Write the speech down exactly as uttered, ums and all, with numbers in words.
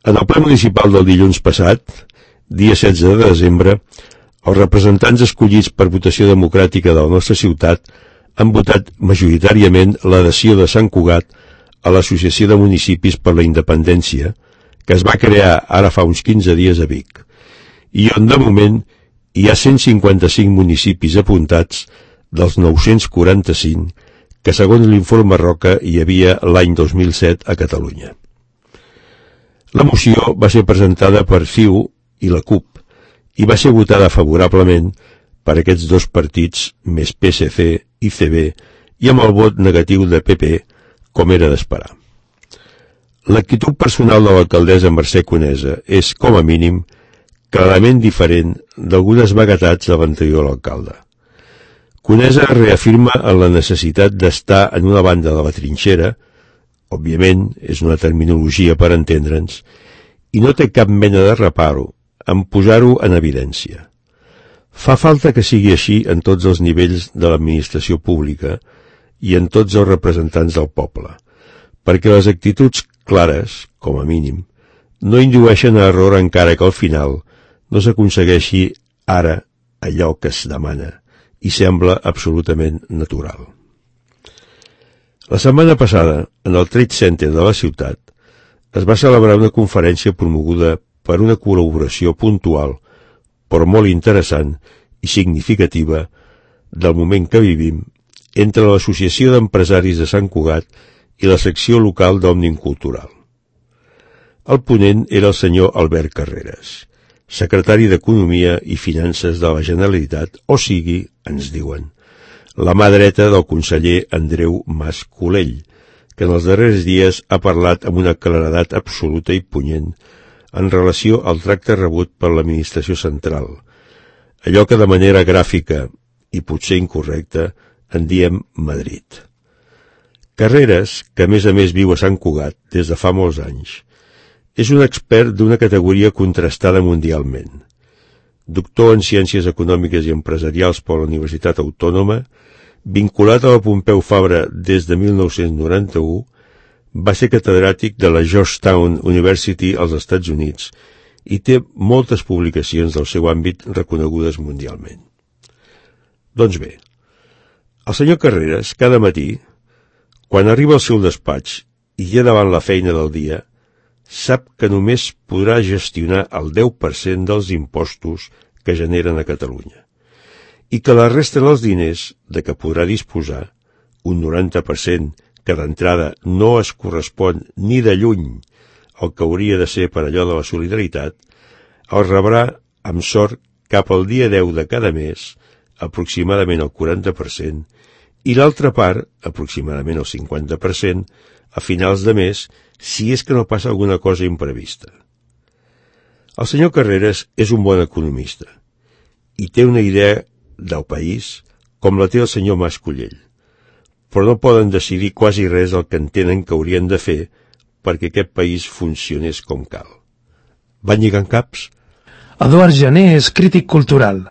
En el ple municipal del dilluns passat, dia setze de desembre, els representants escollits per votació democràtica de la nostra ciutat han votat majoritàriament l'adhesió de Sant Cugat a l'Associació de Municipis per la Independència, que es va crear ara fa uns quinze dies a Vic, i on de moment hi ha cent cinquanta-cinc municipis apuntats dels nou-cents quaranta-cinc que segons l'informe Roca hi havia l'any dos mil set a Catalunya. La moció va ser presentada per C I U i la C U P i va ser votada favorablement per aquests dos partits més P S C i C B i amb el vot negatiu de P P, com era d'esperar. L'actitud personal de l'alcaldessa Mercè Conesa és, com a mínim, clarament diferent d'algunes vaguetats de l'anterior alcalde. Conesa reafirma en la necessitat d'estar en una banda de la trinxera, òbviament és una terminologia per entendre'ns, i no té cap mena de reparo en posar-ho en evidència. Fa falta que sigui així en tots els nivells de l'administració pública i en tots els representants del poble, perquè les actituds clares, com a mínim, no indueixen a error encara que al final no s'aconsegueixi ara allò que es demana i sembla absolutament natural. La setmana passada, en el Trade Center de la ciutat, es va celebrar una conferència promoguda per una col·laboració puntual, però molt interessant i significativa del moment que vivim entre l'Associació d'Empresaris de Sant Cugat i la secció local d'Òmnium Cultural. El ponent era el senyor Albert Carreras, secretari d'Economia i Finances de la Generalitat, o sigui, ens diuen, la mà dreta del conseller Andreu Mas Colell, que en els darrers dies ha parlat amb una claredat absoluta i punyent en relació al tracte rebut per l'administració central, allò que de manera gràfica i potser incorrecta en diem Madrid. Carreras, que a més a més viu a Sant Cugat des de fa molts anys, és un expert d'una categoria contrastada mundialment. Doctor en Ciències Econòmiques i Empresarials per la Universitat Autònoma, vinculat a la Pompeu Fabra des de mil nou-cents noranta-u, va ser catedràtic de la Georgetown University als Estats Units i té moltes publicacions del seu àmbit reconegudes mundialment. Doncs bé, el senyor Carreras, cada matí, quan arriba al seu despatx i ja davant la feina del dia, sap que només podrà gestionar el deu per cent dels impostos que generen a Catalunya i que la resta dels diners de què podrà disposar, un noranta per cent que d'entrada no es correspon ni de lluny al que hauria de ser per allò de la solidaritat, el rebrà amb sort cap al dia deu de cada mes, aproximadament el quaranta per cent, i l'altra part, aproximadament el cinquanta per cent, a finals de mes, si és que no passa alguna cosa imprevista. El senyor Carreras és un bon economista i té una idea del país com la té el senyor Mas Colell, però no poden decidir quasi res el que entenen que haurien de fer perquè aquest país funcionés com cal. Van lligant caps? Eduard Jané és crític cultural.